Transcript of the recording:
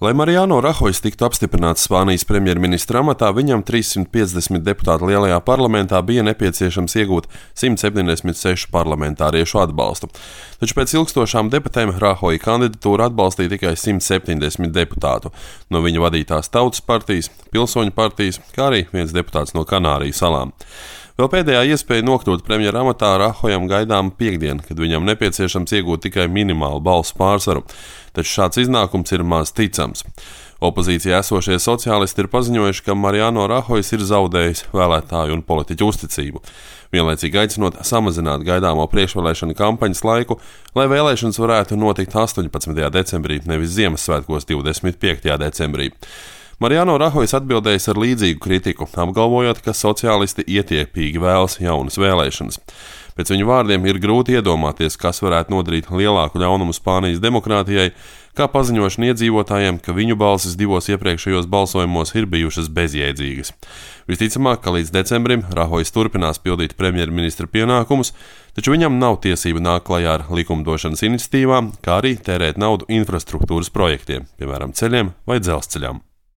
Lai Mariano Rahojs tiktu apstiprināts Spānijas premjerministra amatā, viņam 350 deputātu lielajā parlamentā bija nepieciešams iegūt 176 parlamentāriešu atbalstu. Taču pēc ilgstošām debatēm Rahoja kandidatūru atbalstīja tikai 170 deputātu no viņa vadītās Tautas partijas, Pilsoņu partijas, kā arī viens deputāts no Kanāriju salām. Vēl pēdējā iespēja nokļūt premjera amatā Rahojam gaidām piektdien, kad viņam nepieciešams iegūt tikai minimālu balsu pārsvaru, taču šāds iznākums ir maz ticams. Opozīcijā esošie sociālisti ir paziņojuši, ka Mariano Rahojs ir zaudējis vēlētāju un politiķu uzticību, vienlaicīgi aicinot samazināt gaidāmo priekšvēlēšanu kampaņas laiku, lai vēlēšanas varētu notikt 18. decembrī, nevis Ziemassvētkos 25. decembrī. Mariano Rahojs atbildējis ar līdzīgu kritiku, apgalvojot, ka sociālisti ietiepīgi vēlas jaunas vēlēšanas. Pēc viņu vārdiem ir grūti iedomāties, kas varētu nodarīt lielāku ļaunumu Spānijas demokrātijai, kā paziņošana iedzīvotājiem, ka viņu balsis divos iepriekšējos balsojumos ir bijušas bezjēdzīgas. Visticamāk, ka līdz decembrim Rahojs turpinās pildīt premjerministra pienākumus, taču viņam nav tiesība nākt klajā ar likumdošanas iniciatīvām, kā arī tērēt naudu infrastruktūras projektiem, piemēram, ceļiem vai dzelzceļam.